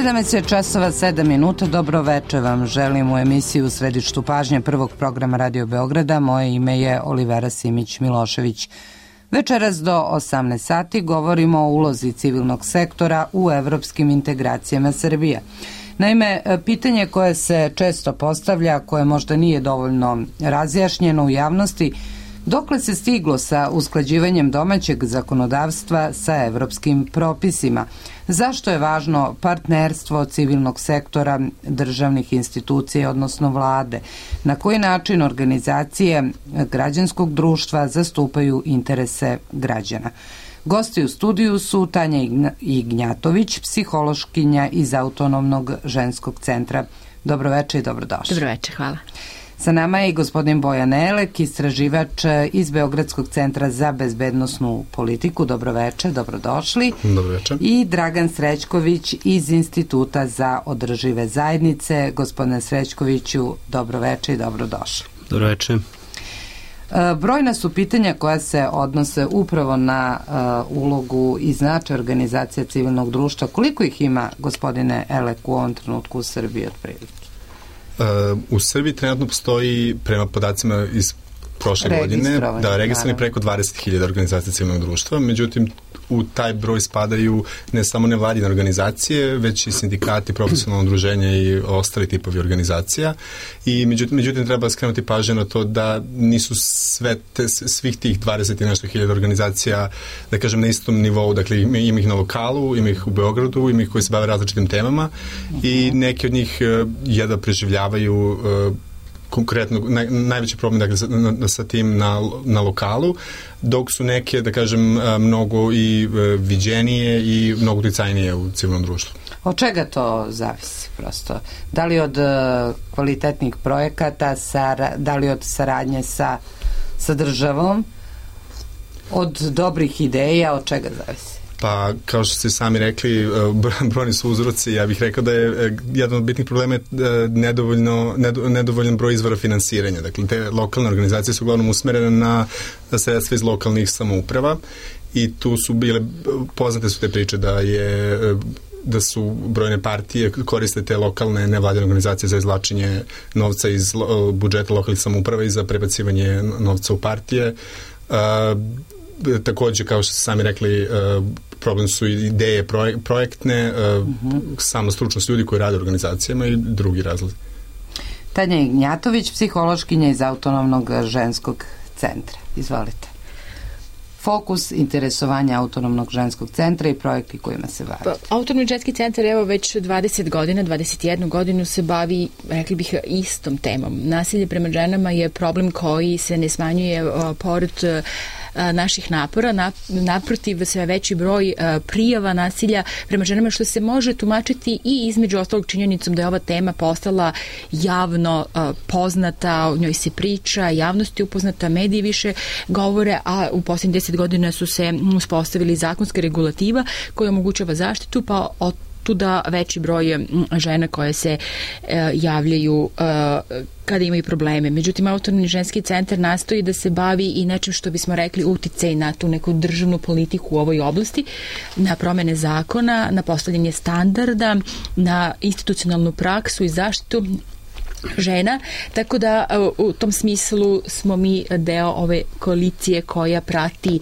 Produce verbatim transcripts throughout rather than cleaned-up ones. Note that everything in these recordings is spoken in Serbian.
sedamnaest časova sedam minuta, dobro veče vam želim u emisiji U središtu pažnje prvog programa Radio Beograda. Moje ime je Olivera Simić-Milošević. Večeras do osamnaest sati govorimo o ulozi civilnog sektora u evropskim integracijama Srbije. Naime, pitanje koje se često postavlja, koje možda nije dovoljno razjašnjeno u javnosti, dokle se stiglo sa usklađivanjem domaćeg zakonodavstva sa evropskim propisima? Zašto je važno partnerstvo civilnog sektora, državnih institucija, odnosno vlade? Na koji način organizacije građanskog društva zastupaju interese građana? Gosti u studiju su Tanja Ignjatović, psihološkinja iz Autonomnog ženskog centra. Dobroveče i dobrodošli. Dobroveče, hvala. Sa nama je i gospodin Bojan Elek, istraživač iz Beogradskog centra za bezbednosnu politiku. Dobroveče, dobrodošli. Dobroveče. I Dragan Srećković iz Instituta za održive zajednice. Gospodine Srećkoviću, dobroveče i dobrodošli. Dobroveče. Brojna su pitanja koja se odnose upravo na uh, ulogu i značaj organizacija civilnog društva. Koliko ih ima, gospodine Elek, u ovom trenutku u Srbiji otprilike? Uh, u Srbiji trenutno postoji, prema podacima iz prošle godine, da registrovani preko dvadeset hiljada organizacija civilnog društva, međutim u taj broj spadaju ne samo nevladine organizacije, već i sindikati, profesionalno udruženje i ostali tipovi organizacija. I međutim, međutim treba skrenuti pažnju na to da nisu sve te, svih tih dvadeset i nešto hiljada organizacija, da kažem, na istom nivou. Dakle, ima, ima ih na lokalu, ima ih u Beogradu, ima ih koji se bave različitim temama i neki od njih jedva preživljavaju konkretno, naj, najveći problem dakle, sa, na, sa tim na, na lokalu, dok su neke, da kažem, mnogo i viđenije i mnogo uticajnije u civilnom društvu. Od čega to zavisi prosto? Da li od kvalitetnih projekata, sara, da li od saradnje sa, sa državom, od dobrih ideja, od čega zavisi? Pa, kao što ste sami rekli, brojni su uzroci. Ja bih rekao da je jedan od bitnih problema nedovoljno, nedovoljan broj izvora finansiranja. Dakle, te lokalne organizacije su uglavnom usmerene na sredstva iz lokalnih samouprava i tu su bile, poznate su te priče da je da su brojne partije koriste te lokalne nevladine organizacije za izvlačenje novca iz budžeta lokalnih samouprava i za prebacivanje novca u partije. Uh, takođe, kao što ste sami rekli, uh, problem su ideje projek- projektne, uh, uh-huh. samo stručnost ljudi koji rade u organizacijama i drugi razlozi. Tanja Ignjatović, psihološkinja iz Autonomnog ženskog centra. Izvolite. Fokus interesovanja Autonomnog ženskog centra i projekti kojima se bavi. Pa, Autonomni ženski centar evo već dvadeset godina, dvadeset jednu godinu se bavi, rekli bih, istom temom. Nasilje prema ženama je problem koji se ne smanjuje uh, pored uh, naših napora, naprotiv sve veći broj prijava nasilja prema ženama, što se može tumačiti i između ostalog činjenicom da je ova tema postala javno poznata, o njoj se priča, javnost je upoznata, mediji više govore, a u posljednjih deset godina su se uspostavili zakonska regulativa koja omogućava zaštitu, pa od tuda veći broj žena koje se e, javljaju e, kada imaju probleme. Međutim, Autonomni ženski centar nastoji da se bavi i nečim što bismo rekli uticaj na tu neku državnu politiku u ovoj oblasti, na promene zakona, na postavljanje standarda, na institucionalnu praksu i zaštitu žena, tako da u tom smislu smo mi deo ove koalicije koja prati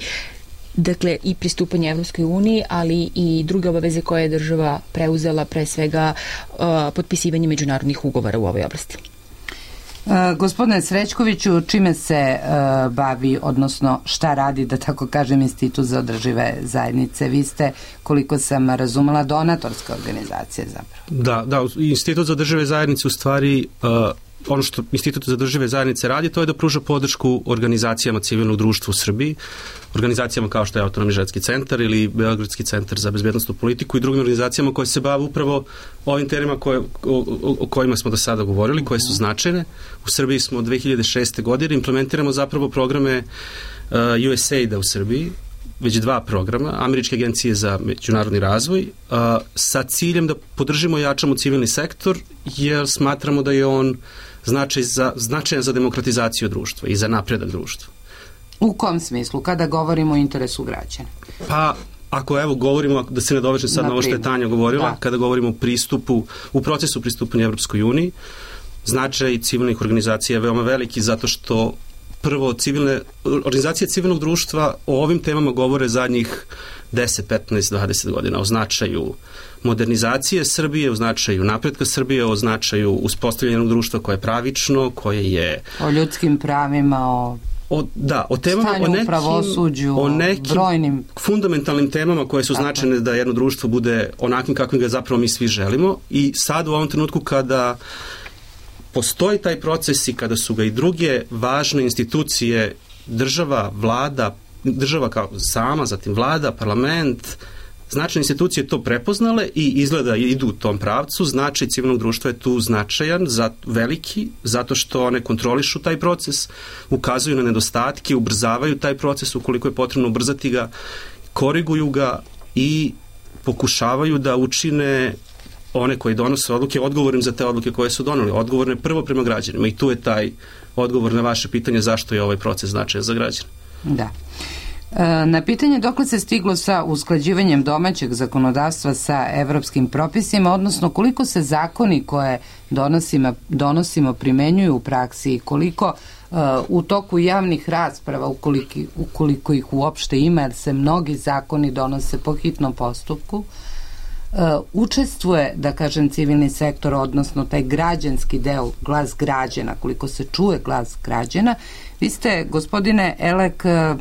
dakle i pristupanje Evropskoj uniji, ali i druge obaveze koje je država preuzela, pre svega uh, potpisivanje međunarodnih ugovora u ovoj oblasti. Uh, gospodine Srećkoviću, čime se uh, bavi, odnosno šta radi, da tako kažem, Institut za održive zajednice? Vi ste, koliko sam razumela, donatorska organizacija zapravo. Da, da, Institut za održive zajednice u stvari uh, ono što Institut za održive zajednice radi, to je da pruža podršku organizacijama civilnog društva u Srbiji, organizacijama kao što je Autonomni ženski centar ili Beogradski centar za bezbednosnu politiku i drugim organizacijama koje se bave upravo ovim temama koje, o, o kojima smo do sada govorili, koje su značajne. U Srbiji smo od dve hiljade šeste godine implementiramo zapravo programe uh, U S A I D a u Srbiji, već dva programa, Američke agencije za međunarodni razvoj, uh, sa ciljem da podržimo i jačamo civilni sektor, jer smatramo da je on značaj za, značajan za demokratizaciju društva i za napredak društva. U kom smislu, kada govorimo o interesu građana? Pa, ako evo govorimo, da se ne dovežem sad na ovo što je Tanja govorila, da. Kada govorimo o pristupu, u procesu pristupanja Evropskoj uniji, značaj civilnih organizacija je veoma veliki zato što prvo civilne, organizacije civilnog društva o ovim temama govore zadnjih deset, petnaest, dvadeset godina o značaju modernizacije Srbije, o značaju napretka Srbije, o značaju uspostavljenog društva koje je pravično, koje je... O ljudskim pravima, o... O, da, o temama, o nekim, pravosuđu, o nekim brojnim fundamentalnim temama koje su značajne da jedno društvo bude onakvim kakvim ga zapravo mi svi želimo i sad u ovom trenutku kada postoji taj proces i kada su ga i druge važne institucije, država, vlada, država kao sama, zatim vlada, parlament, značajne institucije to prepoznale i izgleda idu u tom pravcu, značaj civilnog društva je tu značajan, za, veliki, zato što one kontrolišu taj proces, ukazuju na nedostatke, ubrzavaju taj proces ukoliko je potrebno ubrzati ga, koriguju ga i pokušavaju da učine one koji donose odluke odgovornim za te odluke koje su doneli, odgovorne prvo prema građanima i tu je taj odgovor na vaše pitanje zašto je ovaj proces značajan za građane. Da. Na pitanje dokle se stiglo sa usklađivanjem domaćeg zakonodavstva sa evropskim propisima, odnosno koliko se zakoni koje donosimo, donosimo primenjuju u praksi i koliko uh, u toku javnih rasprava, ukoliko, ukoliko ih uopšte ima, jer se mnogi zakoni donose po hitnom postupku, uh, učestvuje, da kažem, civilni sektor, odnosno taj građanski deo, glas građana, koliko se čuje glas građana. Vi ste, gospodine Elek, uh,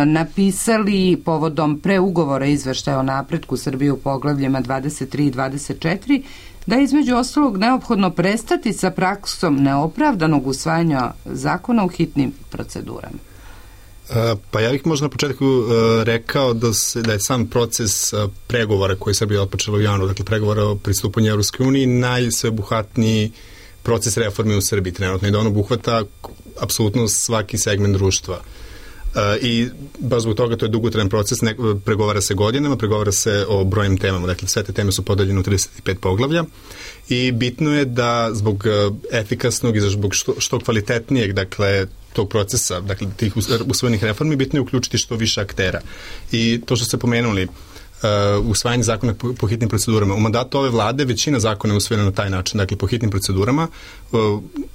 napisali povodom preugovora izveštaja o napretku Srbije u poglavljima dvadeset tri i dvadeset četiri da je između ostalog neophodno prestati sa praksom neopravdanog usvajanja zakona u hitnim procedurama. Pa ja bih možda na početku rekao da, se, da je sam proces pregovora koji Srbija otpočela u januaru, dakle pregovora o pristupanju Evropskoj uniji, najsveobuhvatniji proces reforme u Srbiji trenutno i da on obuhvata apsolutno svaki segment društva. Uh, i baš zbog toga to je dugotrajan proces, ne, pregovara se godinama, pregovara se o brojnim temama, dakle sve te teme su podeljene u trideset pet poglavlja i bitno je da zbog uh, efikasnog i zbog što, što kvalitetnijeg, dakle, tog procesa, dakle, tih usvojenih reformi, bitno je uključiti što više aktera. I to što ste pomenuli, Uh, usvajanje zakona po, po hitnim procedurama. U mandatu ove vlade većina zakona je usvojena na taj način, dakle po hitnim procedurama. Uh,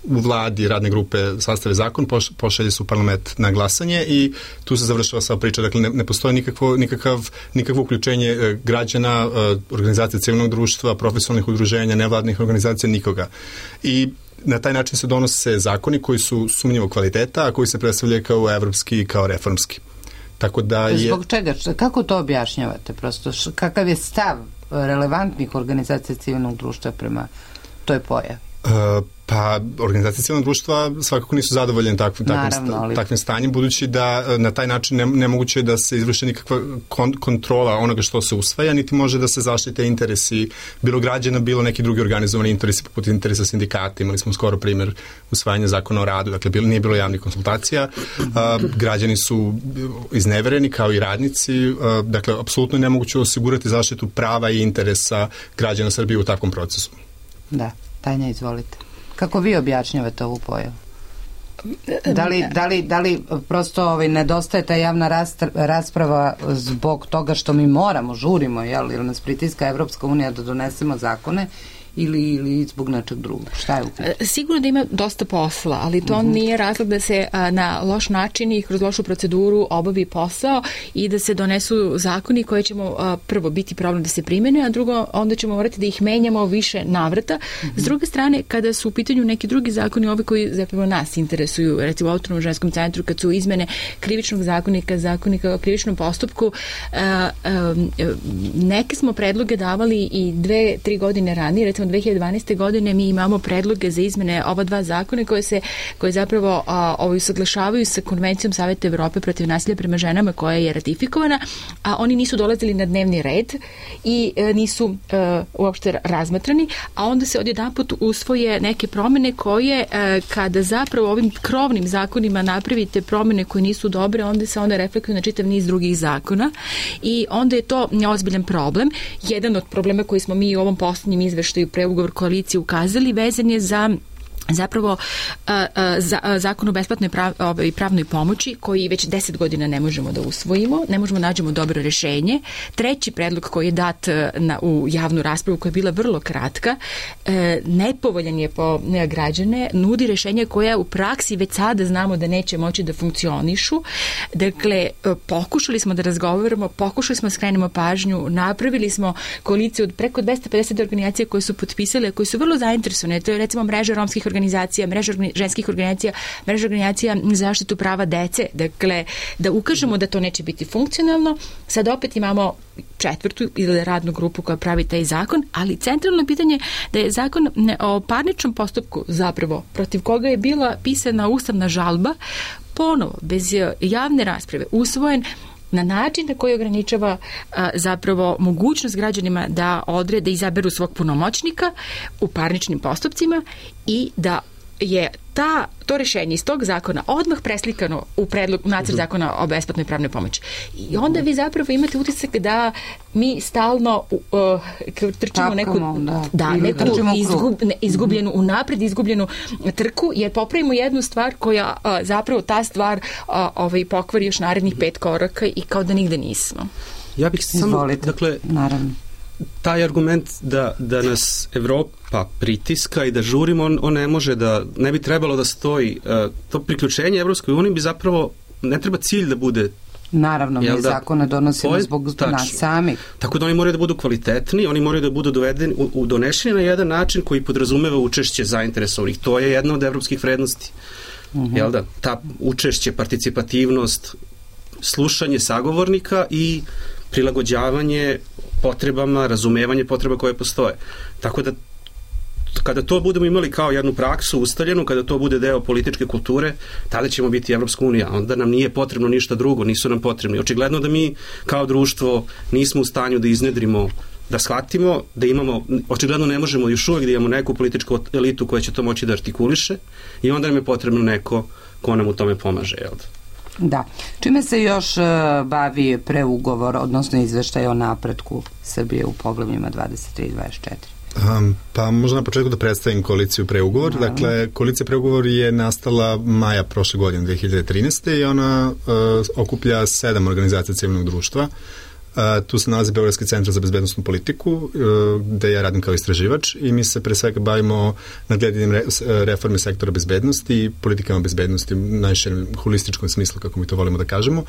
u vladi radne grupe sastave zakon, poš, pošalje su parlament na glasanje i tu se završava sva priča. Dakle, ne, ne postoji nikakvo, nikakav, nikakvo uključenje uh, građana, uh, organizacije civilnog društva, profesionalnih udruženja, nevladnih organizacija, nikoga. I na taj način se donose zakoni koji su sumnjivog kvaliteta, a koji se predstavljaju kao evropski i kao reformski. Tako da je... Zbog čega? Kako to objašnjavate? Prosto, kakav je stav relevantnih organizacija civilnog društva prema toj pojavi? Uh, pa, organizacije civilnog društva svakako nisu zadovoljene takvim, takvim, ali... takvim stanjem, budući da na taj način ne, nemoguće je da se izvrši nikakva kon, kontrola onoga što se usvaja, niti može da se zaštite interesi bilo građana, bilo neki drugi organizovani interesi, poput interesa sindikata. Imali smo skoro primjer usvajanja zakona o radu, dakle bilo, nije bilo javnih konsultacija, uh, građani su iznevereni kao i radnici, uh, dakle, apsolutno nemoguće osigurati zaštitu prava i interesa građana Srbije u takvom procesu. Da. Tanja, izvolite. Kako vi objašnjavate ovu pojavu? Da li, da li, da li prosto ovaj, nedostaje ta javna rasprava zbog toga što mi moramo, žurimo, jel, ili nas pritiska Evropska unija da donesemo zakone, ili, ili zbog nečeg drugog? Šta je u pitanju? Sigurno da ima dosta posla, ali to uh-huh. nije razlog da se a, na loš način i kroz lošu proceduru obavi posao i da se donesu zakoni koji ćemo a, prvo biti problem da se primene, a drugo onda ćemo morati da ih menjamo više navrata. Uh-huh. S druge strane, kada su u pitanju neki drugi zakoni, ovi koji zapravo nas interesuju, recimo u Autonomnom ženskom centru, kad su izmene krivičnog zakonika, zakonika o krivičnom postupku, a, a, neke smo predloge davali i dve, tri godine ranije, recimo dve hiljade dvanaeste. godine mi imamo predloge za izmene ova dva zakona koje se koje zapravo a, ovaj usaglašavaju sa Konvencijom Saveta Evrope protiv nasilja prema ženama koja je ratifikovana, a oni nisu dolazili na dnevni red i a, nisu a, uopšte razmatrani, a onda se odjedanput usvoje neke promene koje a, kada zapravo ovim krovnim zakonima napravite promene koje nisu dobre, onda se onda reflektuju na čitav niz drugih zakona i onda je to ozbiljan problem. Jedan od problema koji smo mi u ovom poslednjem izveštaju preugovor koalicije ukazali vezan je za zapravo a, a, za, a, zakon o besplatnoj prav, ovaj, pravnoj pomoći koji već deset godina ne možemo da usvojimo, ne možemo da nađemo dobro rešenje. Treći predlog koji je dat na, u javnu raspravu koja je bila vrlo kratka, e, nepovoljan je po ne, građane, nudi rešenje koje u praksi već sada znamo da neće moći da funkcionišu. Dakle, pokušali smo da razgovaramo, pokušali smo da skrenemo pažnju, napravili smo koaliciju od preko dvesta pedeset organizacija koje su potpisale, koje su vrlo zainteresovane. To je recimo mreža romskih organizacija, mreža ženskih organizacija, mreža organizacija za zaštitu prava dece. Dakle, da ukažemo da to neće biti funkcionalno. Sad opet imamo četvrtu ili radnu grupu koja pravi taj zakon, ali centralno pitanje da je zakon o parničnom postupku zapravo protiv koga je bila pisana ustavna žalba ponovo, bez javne rasprave, usvojen na način na koji ograničava a, zapravo mogućnost građanima da odrede, da izaberu svog punomoćnika u parničnim postupcima i da je ta, to rešenje iz tog zakona odmah preslikano u predlog, u nacrt zakona o besplatnoj pravnoj pomoći. I onda vi zapravo imate utisak da mi stalno uh, trčimo u neku, da, da, neku izgub, ne, izgubljenu, unapred izgubljenu trku, jer popravimo jednu stvar koja uh, zapravo ta stvar uh, ovaj, pokvari još narednih pet koraka i kao da nigde nismo. Ja bih samo, Izvolite, dakle, naravno. Taj argument da, da nas Evropa pritiska i da žurimo, on, on ne može da, ne bi trebalo da stoji. Uh, to priključenje Evropskoj uniji bi zapravo, ne treba cilj da bude. Naravno, mi da, zakone donosimo zbog tačno. Nas samih. Tako da oni moraju da budu kvalitetni, oni moraju da budu dovedeni, u, u donešeni na jedan način koji podrazumeva učešće zainteresovanih. To je jedna od evropskih vrednosti. Uh-huh. Jel da? Ta učešće, participativnost, slušanje sagovornika i prilagođavanje potrebama, razumevanje potreba koje postoje. Tako da kada to budemo imali kao jednu praksu ustaljenu, kada to bude deo političke kulture, tada ćemo biti Evropska unija. Onda nam nije potrebno ništa drugo, nisu nam potrebni. Očigledno da mi kao društvo nismo u stanju da iznedrimo, da shvatimo, da imamo, očigledno ne možemo još uvijek da imamo neku političku elitu koja će to moći da artikuliše i onda nam je potrebno neko ko nam u tome pomaže, jel da? Da. Čime se još uh, bavi preugovor, odnosno izveštaj o napretku Srbije u poglavljima dvadeset tri i dvadeset četiri? Um, pa možda na početku da predstavim koaliciju preugovor. No. Dakle, koalicija preugovor je nastala maja prošle godine, dve hiljade trinaeste i ona uh, okuplja sedam organizacija civilnog društva. Uh, tu se nalazi Beogradski centar za bezbednostnu politiku, uh, gde ja radim kao istraživač i mi se pre svega bavimo nadgledanjem re, reforme sektora bezbednosti i politikama bezbednosti u najširem holističkom smislu, kako mi to volimo da kažemo.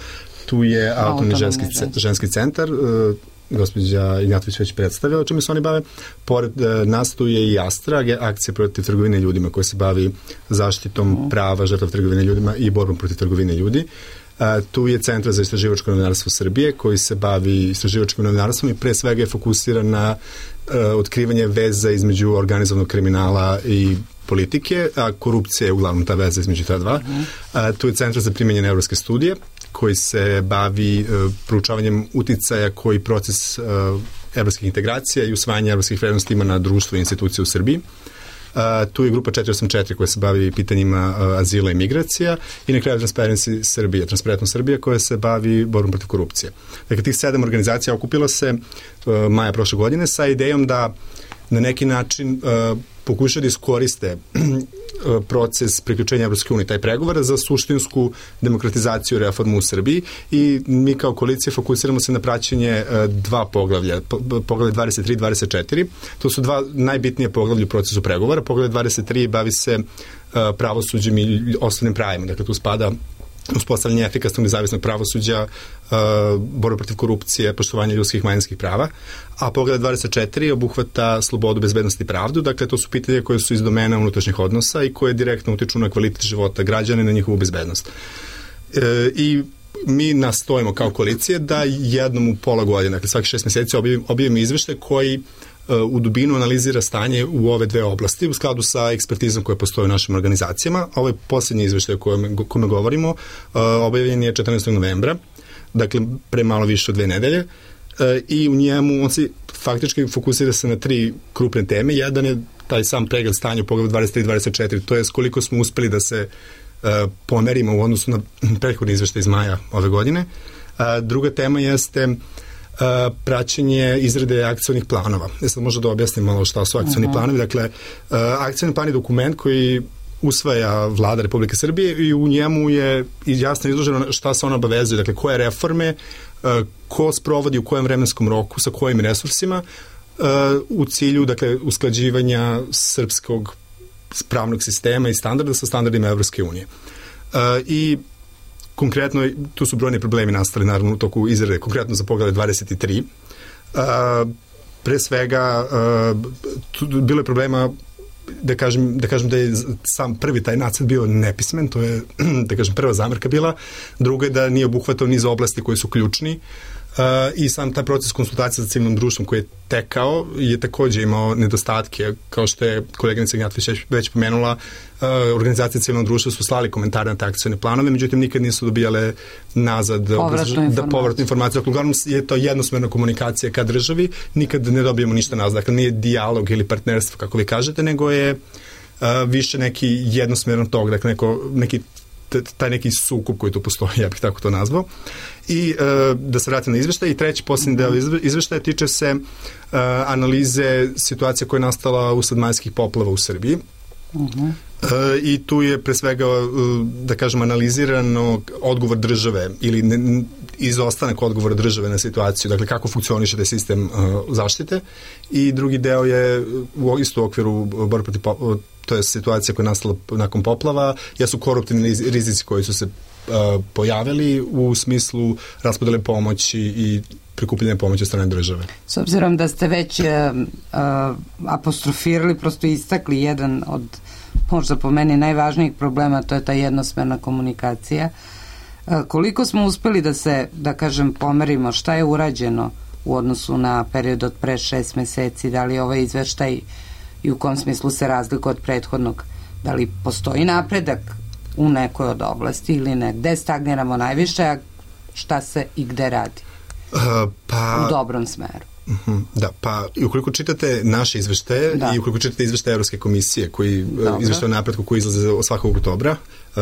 Tu je autonomni ženski, ženski centar, uh, gospođa Ignjatović već predstavila o čemu se oni bave. Pored uh, nas tu je i Astra, akcija protiv trgovine ljudima koja se bavi zaštitom mm. prava žrtava trgovine ljudima i borbom protiv trgovine ljudi. Uh, tu je Centar za istraživačko novinarstvo Srbije koji se bavi istraživačkim novinarstvom i pre svega je fokusiran na uh, otkrivanje veza između organizovanog kriminala i politike, a korupcija je uglavnom ta veza između ta dva. Uh, tu je Centar za primenjene evropske studije koji se bavi uh, proučavanjem uticaja koji proces uh, evropskih integracija i usvajanja evropskih vrednosti ima na društvo i institucije u Srbiji. Uh, tu je grupa četiri osam četiri koja se bavi pitanjima uh, azila i migracija i na kraju Transparency Srbija, Transparentnost Srbija koja se bavi borbom protiv korupcije. Dakle, tih sedam organizacija okupilo se uh, maja prošle godine sa idejom da na neki način uh, pokušaju da iskoriste proces priključenja Evropske unije, taj pregovor za suštinsku demokratizaciju reformu u Srbiji i mi kao koalicija fokusiramo se na praćenje dva poglavlja, poglavlje dvadeset tri i dvadeset četiri. To su dva najbitnije poglavlja u procesu pregovora. Poglavlje dvadeset tri bavi se pravosuđem i osnovnim pravima. Dakle, tu spada uspostavljanje efikasnog nezavisnog pravosuđa, uh, borba protiv korupcije, poštovanje ljudskih i manjinskih prava, a poglavlje dvadeset četiri obuhvata slobodu, bezbednost i pravdu, dakle to su pitanje koje su iz domena unutrašnjih odnosa i koje direktno utiču na kvalitet života građana i na njihovu bezbednost. E, I mi nastojimo kao koalicije da jednom u pola godine, dakle svaki šest mjeseci objavimo, objavimo izveštaj koji u dubinu analizira stanje u ove dve oblasti u skladu sa ekspertizom koja postoji u našim organizacijama. Ovo je posljednji izveštaj o kome, kome govorimo. Objavljen je četrnaestog novembra, dakle pre malo više od dve nedelje i u njemu on se faktički fokusira se na tri krupne teme. Jedan je taj sam pregled stanja u poglavlju dvadeset tri i dvadeset četiri, to je koliko smo uspeli da se pomerimo u odnosu na prethodni izveštaj iz maja ove godine. Druga tema jeste praćenje izrade akcionih planova. Ja sad možda da objasnim malo šta su akcioni uh-huh. planovi. Dakle, akcioni plan je dokument koji usvaja Vlada Republike Srbije i u njemu je jasno izloženo šta se ona obavezuje, dakle koje reforme, ko sprovodi u kojem vremenskom roku, sa kojim resursima, u cilju, dakle, usklađivanja srpskog pravnog sistema i standarda sa standardima Evropske unije. I konkretno, tu su brojni problemi nastali, naravno, u toku izrade, konkretno za poglavlje dvadeset tri. Pre svega, tu bilo je problema da kažem, da kažem da je sam prvi taj nacrt bio nepismen, to je, da kažem, prva zamerka bila, druga je da nije obuhvatao niz oblasti koji su ključni, Uh, i sam taj proces konsultacije sa civilnom društvom koji je tekao je takođe imao nedostatke, kao što je koleginica Gnjatović već pomenula, uh, organizacije civilnog društva su slali komentare na te akcione planove, međutim nikad nisu dobijale nazad povratnu informaciju. Da, povratnu informaciju. Dakle, uglavnom je to jednosmerna komunikacija ka državi, nikad ne dobijemo ništa nazad. Dakle, nije dijalog ili partnerstvo, kako vi kažete, nego je uh, više neki jednosmeran tog, dakle, neko, neki taj neki sukup koji tu postoji, ja bih tako to nazvao. I e, da se vratim na izveštaj. I treći posljednji deo izveštaja tiče se e, analize situacije koja je nastala usled majskih poplava u Srbiji. Uh-huh. E, I tu je pre svega, da kažem, analizirano odgovor države ili ne, izostanak odgovora države na situaciju, dakle kako funkcioniše taj sistem uh, zaštite. I drugi deo je u isto u okviru borbe protiv poplava, to je situacija koja je nastala nakon poplava, jesu koruptivni rizici koji su se uh, pojavili u smislu raspodele pomoći i prikupljanja pomoći od strane države. S obzirom da ste već uh, uh, apostrofirali, prosto istakli jedan od, možda po meni, najvažnijih problema, to je ta jednosmerna komunikacija. Uh, koliko smo uspeli da se, da kažem, pomerimo, šta je urađeno u odnosu na period od pre šest meseci, da li ovaj izveštaj i u kom smislu se razlikuje od prethodnog, da li postoji napredak u nekoj od oblasti ili ne, gde stagniramo najviše, a šta se i gde radi uh, pa, u dobrom smeru. Uh-huh, da, pa i ukoliko čitate naše izveštaje da. I ukoliko čitate izveštaje Evropske komisije koji izveštaje o napretku koji izlaze svakog oktobra, uh,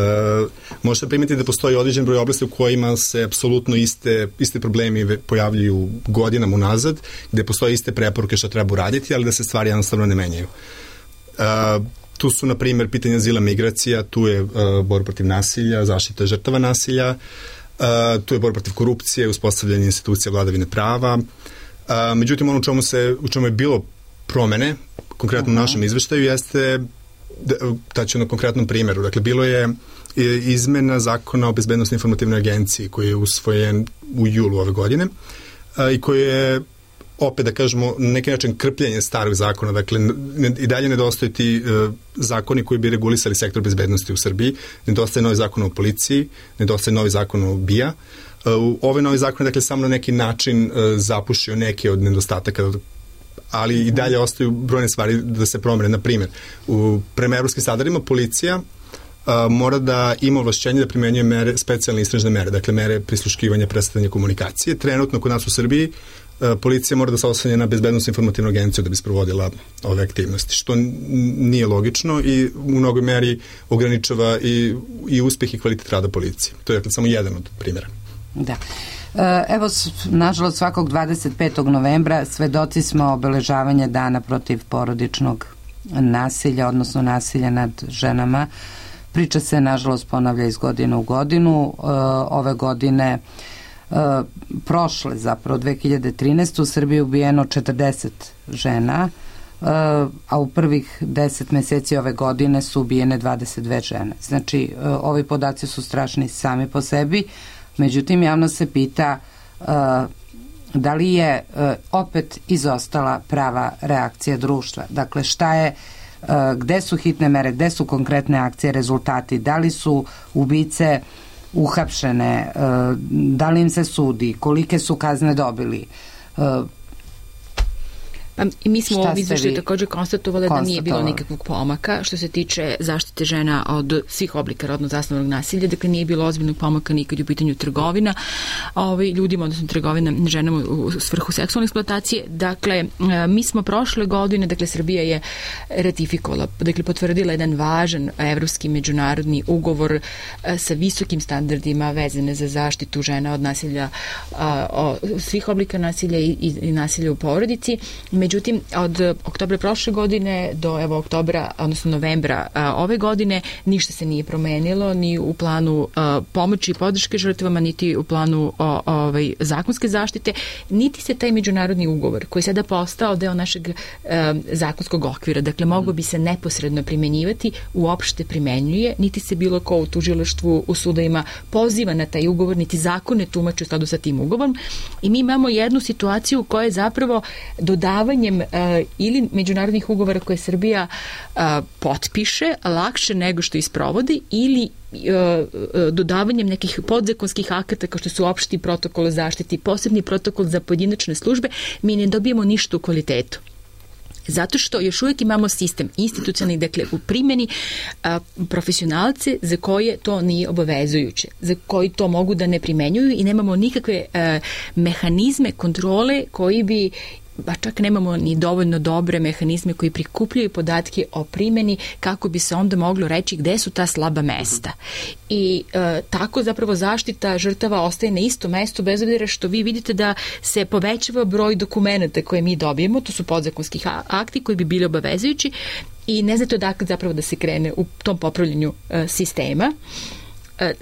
možete primetiti da postoji određen broj oblasti u kojima se apsolutno iste, iste problemi pojavljuju godinama unazad, gde postoje iste preporuke što treba uraditi, ali da se stvari jednostavno ne menjaju. Uh, tu su, na primjer, pitanja azila, migracija, tu je uh, borba protiv nasilja, zaštita žrtava nasilja, uh, tu je borba protiv korupcije, uspostavljanje institucija vladavine prava. A, međutim, ono u čemu, se, u čemu je bilo promene, konkretno uh-huh. u našem izveštaju, jeste, taći na konkretnom primjeru, dakle, bilo je izmena zakona o bezbednostnoj informativnoj agenciji koji je usvojen u julu ove godine a, i koji je, opet da kažemo, na neki način krpljenje starog zakona, dakle, ne, i dalje nedostaju ti uh, zakoni koji bi regulisali sektor bezbednosti u Srbiji, nedostaje novi zakon o policiji, nedostaje novi zakon o B I A. Uh, ovaj novi zakon je, dakle, samo na neki način uh, zapušio neke od nedostataka, ali i dalje ostaju brojne stvari da se promene. Na primjer, u prema evropskim standardima policija uh, mora da ima ovlašćenje da primenjuje mere, specijalne istražne mere, dakle mere prisluškivanja, predstavljanja komunikacije. Trenutno kod nas u Srbiji uh, policija mora da se oslanja na bezbednosnu informativnu agenciju da bi sprovodila ove aktivnosti, što nije logično i u mnogoj meri ograničava i, i uspeh i kvalitet rada policije. To je, dakle, samo jedan od primjera. Da. Evo, nažalost, svakog dvadeset petog novembra svedoci smo obeležavanja dana protiv porodičnog nasilja, odnosno nasilja nad ženama. Priča se, nažalost, ponavlja iz godine u godinu. Ove godine, prošle zapravo, dve hiljade trinaeste. u Srbiji ubijeno četrdeset žena, a u prvih deset meseci ove godine su ubijene dvadeset dve žene. Znači, ovi podaci su strašni sami po sebi. Međutim, javno se pita uh, da li je uh, opet izostala prava reakcija društva. Dakle, šta je, uh, gde su hitne mere, gde su konkretne akcije, rezultati, da li su ubice uhapšene, uh, da li im se sudi, kolike su kazne dobili. Uh, Pa i mi smo u ovom izveštaju također konstatovali da nije bilo nikakvog pomaka što se tiče zaštite žena od svih oblika rodno zasnovanog nasilja, dakle nije bilo ozbiljnog pomaka nikad u pitanju trgovina ovaj, ljudima, odnosno trgovina ženama u svrhu seksualne eksploatacije. Dakle, mi smo prošle godine, dakle Srbija je ratifikovala, dakle potvrdila jedan važan evropski međunarodni ugovor sa visokim standardima vezane za zaštitu žena od nasilja, o svih oblika nasilja i, i, i nasilja u porodici. Međutim, od oktobra prošle godine do evo oktobra, odnosno novembra a, ove godine, ništa se nije promenilo ni u planu a, pomoći i podrške žrtvama, niti u planu o, ovaj, zakonske zaštite, niti se taj međunarodni ugovor koji je sada postao deo našeg a, zakonskog okvira, dakle mogo bi se neposredno primenjivati, uopšte primenjuje, niti se bilo ko u tužilaštvu, u sudovima poziva na taj ugovor, niti zakone tumače u skladu sa tim ugovorom. I mi imamo jednu situaciju koja je zapravo dodavanjem uh, ili međunarodnih ugovora koje Srbija uh, potpiše lakše nego što isprovodi ili uh, uh, dodavanjem nekih podzakonskih akata kao što su opšti protokol o zaštiti, posebni protokol za pojedinačne službe, mi ne dobijemo ništa u kvalitetu. Zato što još uvijek imamo sistem institucionalni, dakle u primjeni a, profesionalce za koje to nije obavezujuće, za koji to mogu da ne primenjuju i nemamo nikakve a, mehanizme kontrole koji bi, ba čak nemamo ni dovoljno dobre mehanizme koji prikupljaju podatke o primjeni kako bi se onda moglo reći gde su ta slaba mesta. I e, tako zapravo zaštita žrtava ostaje na istom mestu bez obzira što vi vidite da se povećava broj dokumenta koje mi dobijemo, to su podzakonski akti koji bi bili obavezujući i ne znate odakle zapravo da se krene u tom popravljanju e, sistema.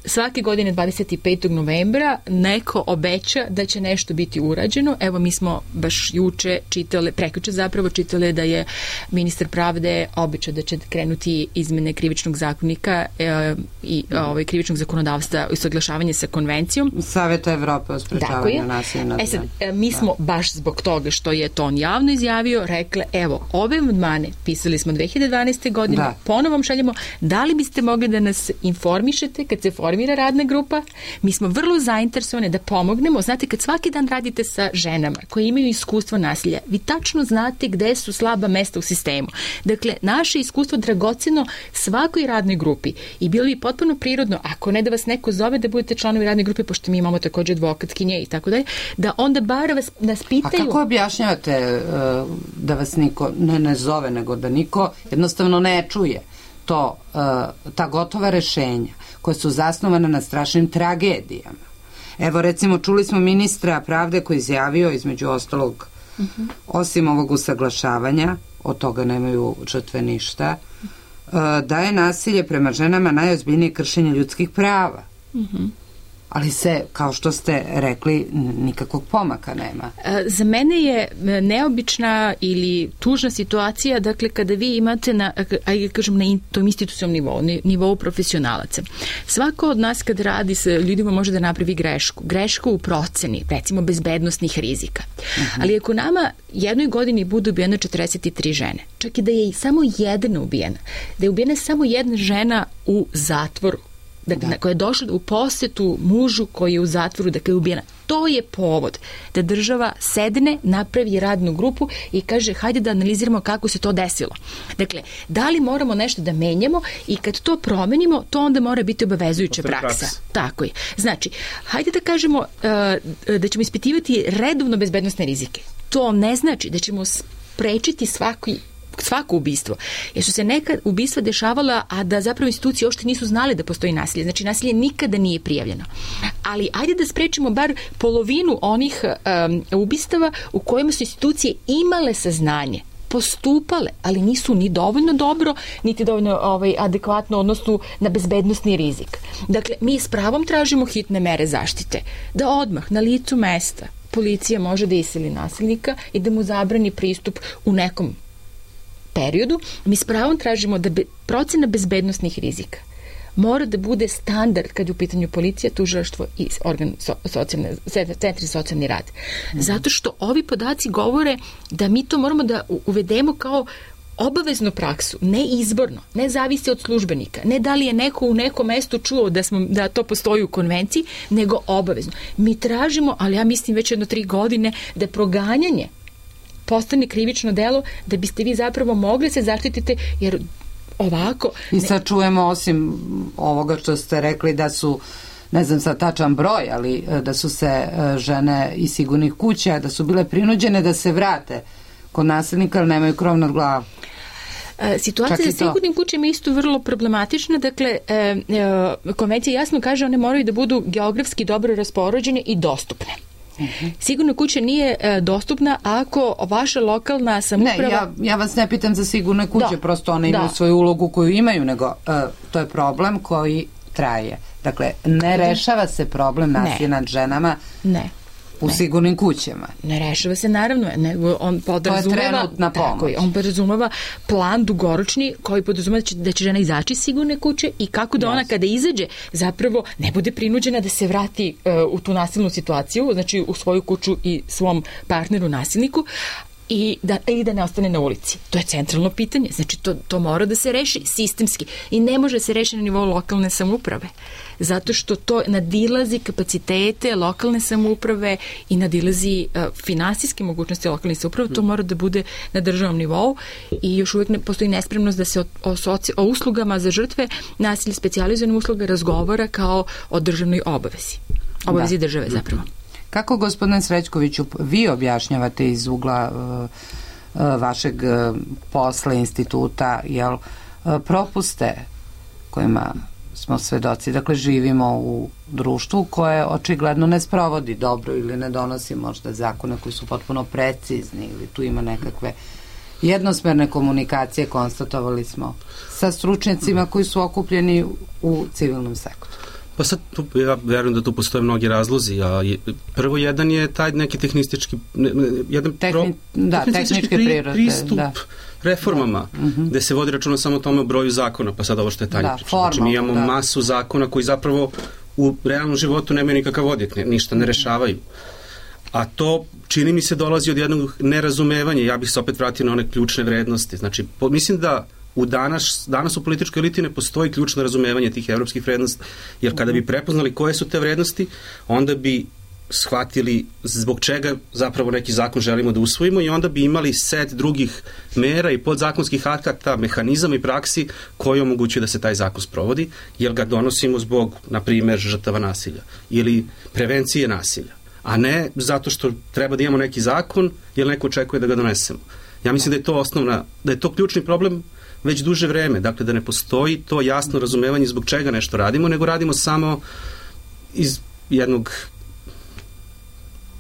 Svake godine dvadeset petog novembra neko obeća da će nešto biti urađeno. Evo mi smo baš juče čitali, prekjuče zapravo čitali da je ministar pravde obećao da će krenuti izmene krivičnog zakonika e, i ovaj, krivičnog zakonodavstva i usaglašavanje sa konvencijom. Saveta Evrope o sprečavanju nasilja nad ženama. E sad, mi smo baš zbog toga što je to on javno izjavio rekle, evo, ove amandmane pisali smo dve hiljade dvanaeste. godine, da. Ponovom šaljemo, da li biste mogli da nas informišete kad se formira radna grupa, mi smo vrlo zainteresovane da pomognemo. Znate, kad svaki dan radite sa ženama koje imaju iskustvo nasilja, vi tačno znate gde su slaba mesta u sistemu. Dakle, naše iskustvo dragoceno svakoj radnoj grupi i bilo bi potpuno prirodno, ako ne da vas neko zove da budete članovi radne grupe, pošto mi imamo također advokatkinje i tako dalje, da onda bar vas nas pitaju... A kako objašnjavate uh, da vas niko ne, ne zove, nego da niko jednostavno ne čuje to, uh, ta gotova rešenja koje su zasnovane na strašnim tragedijama. Evo, recimo, čuli smo ministra pravde koji izjavio, između ostalog, uh-huh. osim ovog usaglašavanja, od toga nemaju žrtve ništa, uh, da je nasilje prema ženama najozbiljnije kršenje ljudskih prava. Uh-huh. Ali se, kao što ste rekli, nikakvog pomaka nema. Za mene je neobična ili tužna situacija, dakle, kada vi imate na, ajde kažem, na tom institucionalnom nivou, nivou profesionalaca. Svako od nas kad radi sa ljudima može da napravi grešku. Grešku u proceni, recimo, bezbednostnih rizika. Uh-huh. Ali ako nama jednoj godini budu ubijene četrdeset tri žene, čak i da je samo jedna ubijena, da je ubijena samo jedna žena u zatvoru, dakle, da. koja je došla u posetu mužu koji je u zatvoru, dakle je ubijena. To je povod da država sedne, napravi radnu grupu i kaže hajde da analiziramo kako se to desilo. Dakle, da li moramo nešto da menjamo i kad to promenimo, to onda mora biti obavezujuća praksa. praksa. Tako je. Znači, hajde da kažemo uh, da ćemo ispitivati redovno bezbednosne rizike. To ne znači da ćemo sprečiti svaki svako ubistvo. Jer su se neka ubistva dešavala, a da zapravo institucije uopšte nisu znali da postoji nasilje. Znači, nasilje nikada nije prijavljeno. Ali ajde da sprečimo bar polovinu onih um, ubistava u kojima su institucije imale saznanje, postupale, ali nisu ni dovoljno dobro, niti dovoljno ovaj, adekvatno odnosno na bezbednosni rizik. Dakle, mi s pravom tražimo hitne mere zaštite. Da odmah na licu mesta policija može da iseli nasilnika i da mu zabrani pristup u nekom periodu. Mi s pravom tražimo da be, procena bezbednosnih rizika mora da bude standard kad je u pitanju policija, tužilaštvo i organ so, socijalne, centri za socijalni rad. Mm-hmm. Zato što ovi podaci govore da mi to moramo da uvedemo kao obaveznu praksu, ne izborno, ne zavisi od službenika, ne da li je neko u nekom mestu čuo da, smo, da to postoji u konvenciji, nego obavezno. Mi tražimo, ali ja mislim već jedno tri godine, da proganjanje postane krivično delo da biste vi zapravo mogli se zaštititi, jer ovako... I sad čujemo, osim ovoga što ste rekli da su, ne znam sad tačan broj, ali da su se žene iz sigurnih kuća, da su bile prinuđene da se vrate kod nasilnika, ali nemaju krov nad glavom. Situacija za sigurnim kućama je isto vrlo problematična. Dakle, e, e, konvencija jasno kaže one moraju da budu geografski dobro raspoređene i dostupne. Uh-huh. Sigurna kuća nije e, dostupna ako vaša lokalna samouprava... Ne, ja, ja vas ne pitam za sigurne kuće, da, prosto one imaju da. svoju ulogu koju imaju, nego e, to je problem koji traje. Dakle, ne rešava se problem nasilja nad ženama. Ne. U ne. sigurnim kućama. Ne rešava se, naravno, nego on podrazumeva, tako je, on podrazumeva plan dugoročni koji podrazumeva da će, da će žena izaći iz sigurne kuće i kako da ona kada izađe zapravo ne bude prinuđena da se vrati uh, u tu nasilnu situaciju, znači u svoju kuću i svom partneru nasilniku, i da, i da ne ostane na ulici. To je centralno pitanje. Znači, to, to mora da se reši sistemski i ne može se reši na nivou lokalne samouprave. Zato što to nadilazi kapacitete lokalne samouprave i nadilazi uh, finansijske mogućnosti lokalne samouprave. To mora da bude na državnom nivou i još uvijek ne, postoji nespremnost da se o, o, soci, o uslugama za žrtve nasilja, specijalizovanim usluga razgovara kao o državnoj obavezi. Obavezi da. države zapravo. Kako, gospodine Srećkoviću, vi objašnjavate iz ugla uh, uh, vašeg uh, posla instituta, jel, uh, propuste kojima smo svedoci, dakle živimo u društvu koje očigledno ne sprovodi dobro ili ne donosi možda zakone koji su potpuno precizni ili tu ima nekakve jednosmerne komunikacije, konstatovali smo, sa stručnjacima koji su okupljeni u civilnom sektoru. Pa sad, tu, ja verujem da tu postoje mnogi razlozi, a je, prvo jedan je taj neki tehnistički, ne, jedan Tehni, pro, da, tehnički pri, prirode, pristup da. reformama, da. Uh-huh. gde se vodi računa samo o tome o broju zakona, pa sad ovo što je Tanja da, priča. Znači, mi imamo da. masu zakona koji zapravo u realnom životu nemaju nikakav odjek, ne, ništa ne rešavaju. A to, čini mi se, dolazi od jednog nerazumevanja. Ja bih se opet vratio na one ključne vrednosti. Znači, po, mislim da u danas, danas u političkoj eliti ne postoji ključno razumevanje tih evropskih vrednosti, jer kada bi prepoznali koje su te vrednosti, onda bi shvatili zbog čega zapravo neki zakon želimo da usvojimo i onda bi imali set drugih mera i podzakonskih akata, mehanizama i praksi koji omogućuju da se taj zakon sprovodi, jer ga donosimo zbog, na primjer, žrtava nasilja ili prevencije nasilja, a ne zato što treba da imamo neki zakon jer neko očekuje da ga donesemo. Ja mislim da je to osnovna, da je to ključni problem već duže vreme, dakle da ne postoji to jasno razumevanje zbog čega nešto radimo, nego radimo samo iz jednog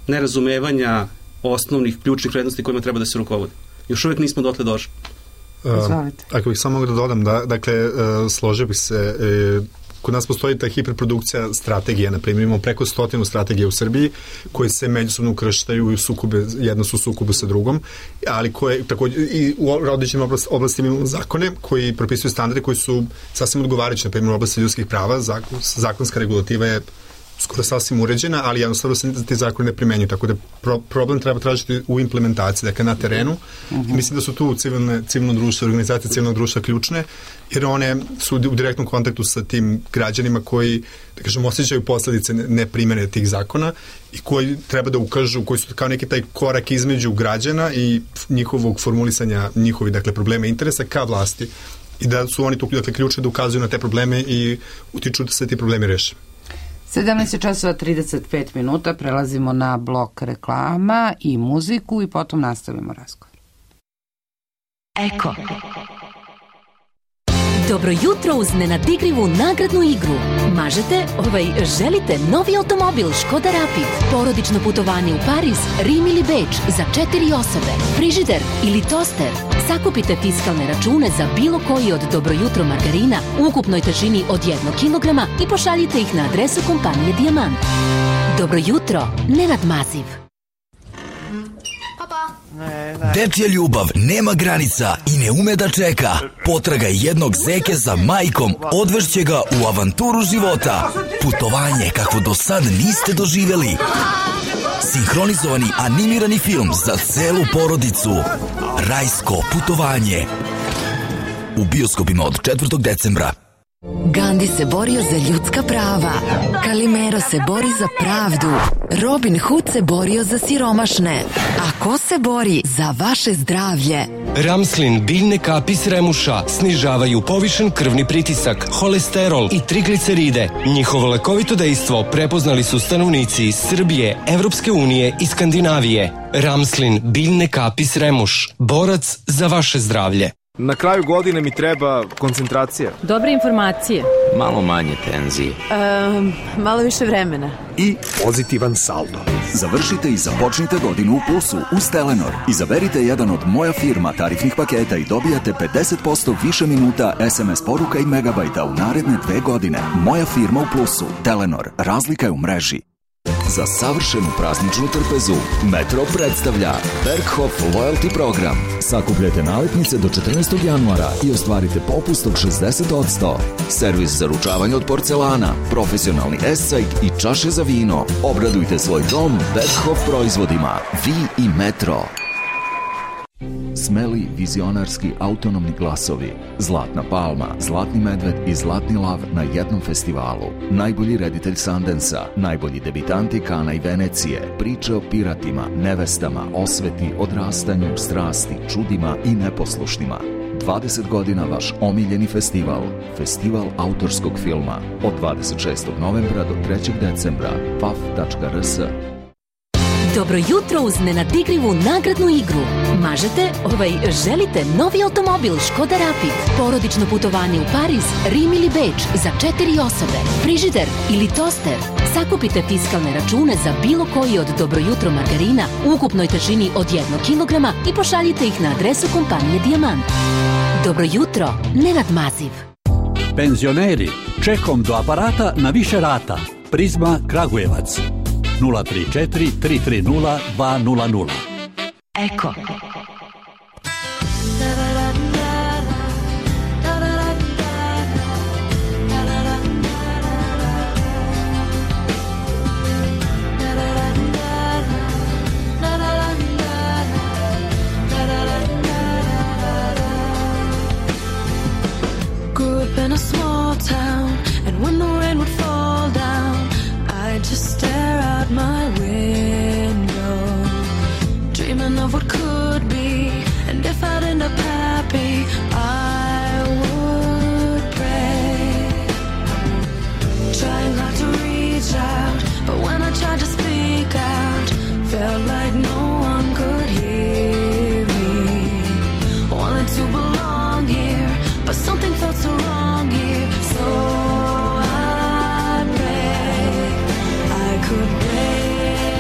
nerazumevanja osnovnih ključnih vrednosti kojima treba da se rukovodi. Još uvijek nismo dotle došli. Uh, ako bih samo mogu da dodam, da, dakle, uh, složio bih se, uh, kod nas postoji ta hiperprodukcija strategija, na primjer, imamo preko stotinu strategije u Srbiji koje se međusobno ukrštaju i sukube, jedna su sukobu sa drugom, ali koje također i u određenim oblasti, oblasti imamo zakone koji propisuju standarde koji su sasvim odgovarajući, na primjer u oblasti ljudskih prava, zakon, zakonska regulativa je skoro sasvim uređena, ali jednostavno se ti zakoni ne primenjuju, tako da pro, problem treba tražiti u implementaciji, dakle na terenu. Uh-huh. Mislim da su tu civilne, civilno društvo, organizacije civilnog društva ključne, jer one su u direktnom kontaktu sa tim građanima koji, da kažem, osjećaju posledice neprimene tih zakona i koji treba da ukažu, koji su kao neki taj korak između građana i njihovog formulisanja njihovih, dakle, problema i interesa ka vlasti i da su oni tu, dakle, ključni da ukazuju na te probleme i utiču da se ti problemi reše. sedamnaest časova trideset pet minuta, prelazimo na blok reklama i muziku i potom nastavimo razgovor. Eko. Dobro jutro uz nenadigrivu nagradnu igru. Mažete, ovaj, želite novi automobil Škoda Rapid, porodično putovanje u Pariz, Rim ili Beč za četiri osobe, frižider ili toster. Sakupite fiskalne račune za bilo koji od Dobro jutro margarina u ukupnoj težini od jednog kilograma i pošaljite ih na adresu kompanije Dijamant. Dobro jutro, Nenad Maziv. Dečja ljubav nema granica i ne ume da čeka. Potraga jednog zeke za majkom odvešće ga u avanturu života. Putovanje kakvo do sad niste doživjeli. Sinhronizovani animirani film za celu porodicu. Rajsko putovanje. U bioskopima od četvrtog decembra. Gandhi se borio za ljudska prava, Kalimero se bori za pravdu, Robin Hood se borio za siromašne. A ko se bori za vaše zdravlje? Ramslin biljne kapi s remuša snižavaju povišen krvni pritisak, holesterol i trigliceride. Njihovo lekovito dejstvo prepoznali su stanovnici iz Srbije, Evropske unije i Skandinavije. Ramslin biljne kapi s remuš, borac za vaše zdravlje. Na kraju godine mi treba koncentracija. Dobre informacije. Malo manje tenzije. Um, malo više vremena. I pozitivan saldo. Završite i započnite godinu u plusu uz Telenor. Izaberite jedan od Moja firma tarifnih paketa i dobijate pedeset posto više minuta es em es poruka i megabajta u naredne dve godine. Moja firma u plusu. Telenor. Razlika je u mreži. Za savršenu prazničnu trpezu Metro predstavlja Berghof Loyalty program. Sakupljajte naletnice do četrnaestog januara i ostvarite popust od šezdeset posto. Servis za ručavanje od porcelana, profesionalni escajt i čaše za vino. Obradujte svoj dom Berghof proizvodima. Vi i Metro. Smeli, vizionarski, autonomni glasovi. Zlatna palma, Zlatni medved i Zlatni lav na jednom festivalu. Najbolji reditelj Sundansa, najbolji debitanti Kana i Venecije. Priče o piratima, nevestama, osveti, odrastanju, strasti, čudima i neposlušnima. dvadeset godina vaš omiljeni festival. Festival autorskog filma. Od dvadeset šestog novembra do trećeg decembra. p a f tačka r s. Dobro jutro uz nenadigrivu nagradnu igru. Mažete, ovaj, želite novi automobil Škoda Rapid, porodično putovanje u Pariz, Rim ili Beč za četiri osobe, frižider ili toster. Sakupite fiskalne račune za bilo koji od Dobro jutro margarina u ukupnoj težini od jednog kilograma i pošaljite ih na adresu kompanije Dijamant. Dobro jutro, Nenad Maziv. Penzioneri, čekom do aparata na više rata. Prizma Kragujevac. nula tri četiri tri tri nula dva nula nula. Eko. Grew up in a small town, and when the rain would fall down, I'd just stare out my window, dreaming of what could be, and if I'd end up happy, I would pray, trying hard to reach out, but when I tried to speak out, felt like no one could hear me, wanted to belong here, but something felt so wrong here, so I pray I could break